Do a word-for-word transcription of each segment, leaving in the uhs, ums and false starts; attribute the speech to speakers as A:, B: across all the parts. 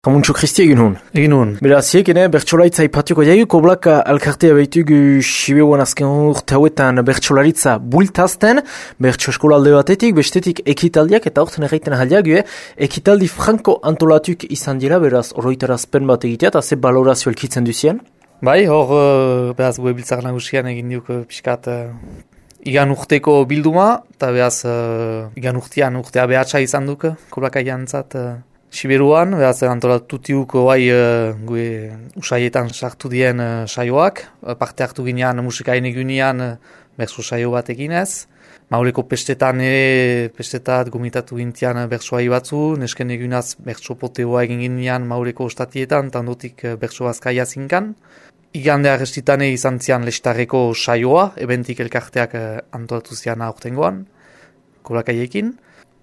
A: Jamuntxo Kristi egin hon.
B: Egin hon.
A: Beraz, hiek ene, bertxolaritza ipatuko jaiu, koblaka alkartea behitugu Sibeuan azken urte hauetan bertxolaritza bultazten, bertxo eskola alde batetik, bestetik ekitaldiak, eta horten erraiten ahaldiak, ekitaldi franko antolatuk izan dira, beraz, oroitarazpen bat egitea, eta ze balorazio elkitzen duzien?
B: Bai, hor, uh, beraz, gue biltzak nagusian egin diuk uh, pixkat uh, igan urteko bilduma, eta beraz, uh, igan urtean urtea behatsa izan duk, koblaka jantzat, uh, Siberuan, beraz, antolatutiuk oai uh, gue usaietan sartu dien uh, saioak, uh, parte hartu ginean musikain egunean uh, berso saio bat eginez. Maureko pestetan ere, pestetat gomitatu gintian uh, bersoai batzu, nesken egunaz berso poteoa egin ginean Maureko ostatietan, eta ondotik uh, berso azkaia zinkan. Igande arrestitane izan zian lestarreko saioa, ebentik elkarteak uh, antolatu zian aurtengoan, kolakaiekin.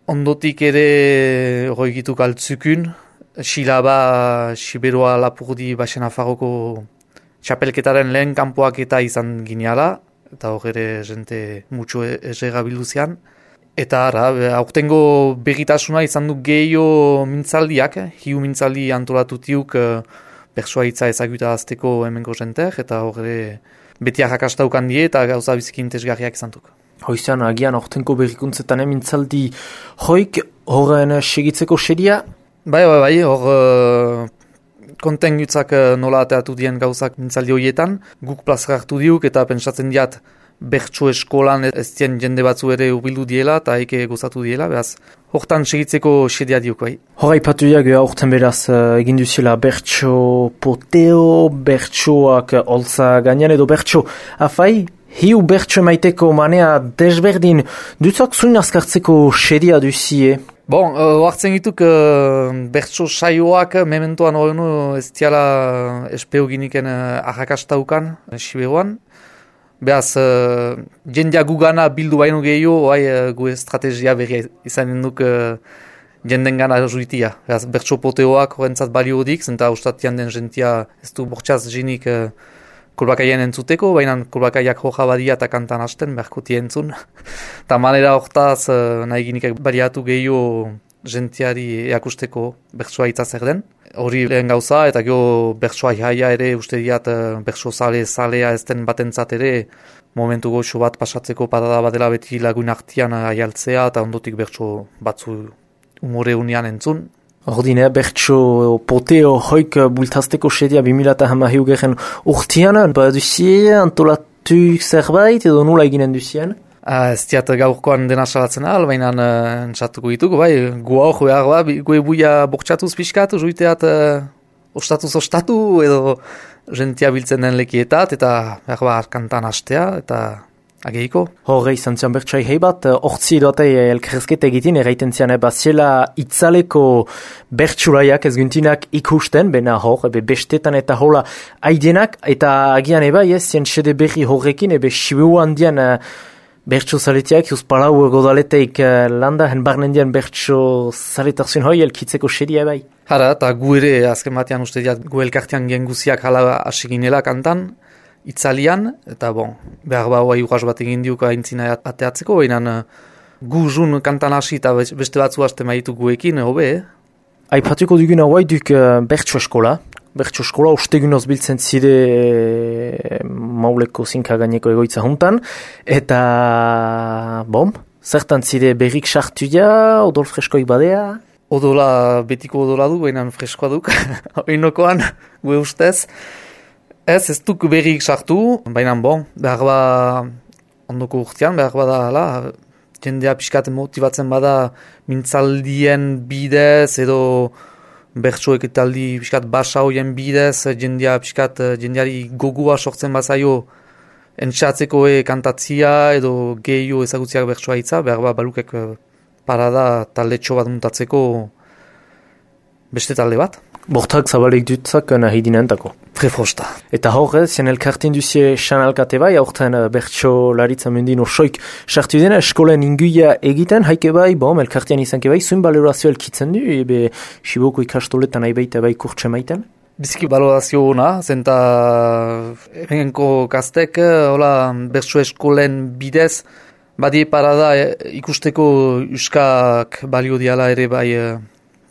B: Ondotik ere roigituk altzukun, Silaba, Siberoa Lapurdi Baxen Afarroko txapelketaren lehen kanpoak eta izan gineala, eta hor ere jente mutxo ezera bilduzian. Eta ara, aurtengo berritasuna izan du gehiago mintzaldiak, hiu mintzaldi antolatutiuk persoa hitza ezaguta azteko hemengo jenteak, eta hor ere beti arrakastaukan die eta gauza biziki interesgarriak izan duk.
A: Hoizan, agian ortenko berrikuntzetan mintzaldi hoik horren segitzeko seria?
B: Bai, bai, bai, hor uh, konten gutzak uh, nola ateatu dien gauzak mintzaldi horietan. Guk plazera hartu diuk eta pentsatzen diat bertso eskolan ez dien jende batzu ere urbildu diela eta eke gozatu diela, beraz, hortan segitzeko sedia diuk, bai.
A: Hora ipatu diak, horten beraz uh, egin duzila bertso poteo, bertsoak olza gainean edo bertso afai? Hiu bertso emaiteko manea desberdin dutzak zuin azkartzeko sedia duzie?
B: Bon, uh, hartzen gituk uh, bertso saioak mementoan horrenu ez diala espeo giniken uh, arrakastaukan Siberuan. Beaz, uh, jendea gugana bildu baino gehiago, oai uh, gu estrategia berri izanen duk uh, jenden gana juitia. Beaz, bertso poteoak horrentzat balio dik, zenta ustatian den jentia ez du bortxaz jinik uh, kolbakaien entzuteko, baina kolbakaiak hoja badia eta kantan hasten, berkuti entzun. Eta manera hortaz nahi ginikak baliatu gehiago jentiari eakusteko bertsoa itza zer den. Hori lehen gauza, eta gero bertsoa jaia ere uste diat bertso zale, zalea ez den batentzat ere momentu goxo bat pasatzeko padada badela beti lagun artian aialtzea eta ondotik bertso batzu umore unian entzun.
A: Ordine, bertso poteo hoik bultazteko sedia bimilata hama hiugeren urtian, baduzie antolatuk zerbait edo nula eginen duzien?
B: Uh, ez diat gaurkoan dena salatzen ahal, baina uh, entzatuko dituko, bai, gu hor behar, ba, gu ebuia bortxatuz pixkatu, juiteat uh, ostatuz ostatu edo jentia biltzen den lekietat, eta behar ba, kantan hastea, eta ageiko.
A: Horre izan zian bertsoai hei bat, hortzi edoatei elkerrezketa egitin, erraiten zian eba ziela itzaleko bertsulaiak ez guntinak ikusten, bena hor, ebe bestetan eta hola aidenak, eta agian eba, ez, zien sede berri horrekin, ebe Sibeu handian uh, bertso zaletiak, juz palau godaleteik uh, landa, hen barnen dian bertso zaletarzun hoi elkitzeko sedia ebai.
B: Hara, eta gu ere, azken batean uste diat, gu elkartean genguziak hala asiginela kantan, itzalian, eta bon, behar ba hoa urras bat egin diuk aintzina ateatzeko, baina gu jun kantan hasi eta beste batzu haste maitu guekin, hobe, eh?
A: Aipatuko duguna hoa duk uh, bertso eskola. Bertso eskola ustegunoz biltzen zide e, mauleko zinka gaineko egoitza juntan, eta bom, zertan zide berrik sartu ja, odol freskoik badea?
B: Odola, betiko odola du, baina freskoa duk, oinokoan, gue ustez. Ez, ez duk berrik sartu, baina bon, behar ba ondoko urtean, behar bada hala, jendea pixkat motibatzen bada mintzaldien bidez edo bertso ekitaldi pixkat basa hoien bidez, jendea pixkat jendeari gogua sortzen bazaio entxatzeko e kantatzia edo gehiago ezagutziak bertsoa hitza, behar ba balukek parada talde txo bat muntatzeko beste talde bat.
A: Bortak zabalek dutzak nahi dinentako.
B: Trefosta.
A: Eta hor, zien elkarten duzie sanalkate bai, aurten bertso laritza mendin osoik sartu dena, eskolen inguia egiten, haike bai, bom, elkartean izanke bai, zuen balorazio elkitzen du, ebe Siboko ikastoletan nahi baita bai kurtse maiten?
B: Biziki balorazio hona, zenta egenko kastek, hola, bertso eskolen bidez, badie parada ikusteko euskak balio diala ere bai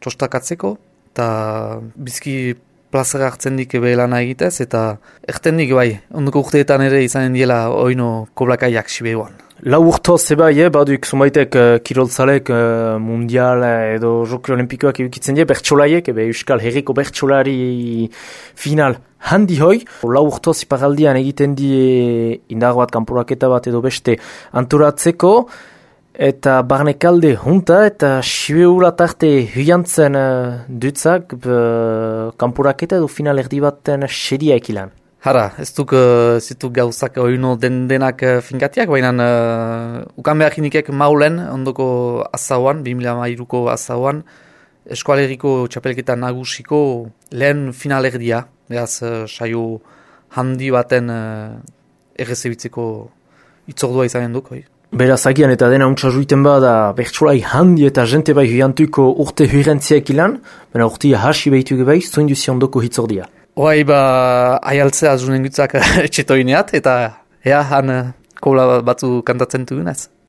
B: txostakatzeko, eta bizki plazera hartzen dik ebe lana egitez, eta erten dik bai, ondoko urteetan ere izanen diela oino koblakaiak Siberuan.
A: Lau urto zeba, eh, baduk zumaitek uh, kiroltzalek uh, mundial edo joki olimpikoak eukitzen die, bertsolaiek, ebe Euskal Herriko bertsolari final handi hoi. Lau urto ziparaldian egiten die indar bat, kanporaketa bat edo beste anturatzeko, eta barnekalde junta, eta Sibeura tarte huiantzen uh, dutzak uh, kanporaketa edo final erdi baten seria ekilan.
B: Hara, ez duk uh, zituk gauzak oino den denak uh, finkatiak, baina uh, ukan behar inikek maulen, ondoko azauan, bi mila hamairuko azauan, eskualeriko txapelketa nagusiko lehen finalerdia, beraz uh, saio handi baten uh, errezebitzeko itzordua izanen duk, hoi.
A: Beraz, agian eta dena untsa juiten bada bertsolai handi eta jente bai huiantuko urte huirentziak ilan, baina urtia hasi behitu gebai, zoin duzi ondoko hitzordia.
B: Hoai ba, aialtzea azunen gutzak etxetoineat, eta ea han uh, kola batzu kantatzen dugunaz.